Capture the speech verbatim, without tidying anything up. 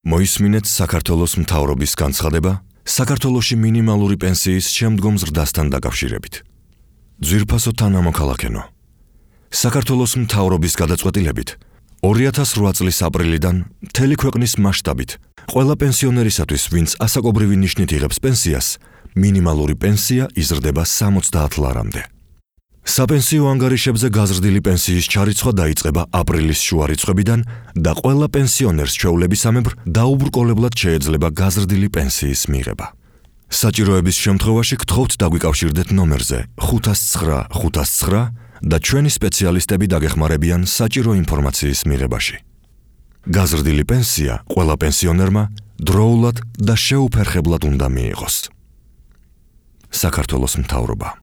მოისმინეთ საქართველოს მთავრობის განცხადება საქართველოში მინიმალური პენსიის შემდგომ ზრდასთან დაკავშირებით. ძვირფასო თანამოქალაქენო. საქართველოს მთავრობის გადაწყვეტილებით ორი ათას რვა წლის აპრილიდან მთელი ქვეყნის მასშტაბით ყველა პენსიონერისათვის, ვინც ასაკობრივი ნიშნით იღებს პენსიას, მინიმალური პენსია იზრდება სამოცდაათ ლარამდე. საპენსიო ანგარიშებზე გაზრდილი პენსიის ჩარიცხვა დაიწყება აპრილის შუა რიცხვებიდან და ყველა პენსიონერს ჩვეულებისამებრ დაუბრკოლებლად შეეძლება გაზრდილი პენსიის მიღება. საჭიროების შემთხვევაში გთხოვთ დაგვიკავშირდეთ ნომერზე ხუთას ცხრა ხუთას ცხრა და ჩვენი სპეციალისტები დაგეხმარებიან საჭირო ინფორმაციის მიღებაში. გაზრდილი პენსია ყველა პენსიონერმა დროულად და შეუფერხებლად უნდა მიიღოს. საქართველოს მთავრობა.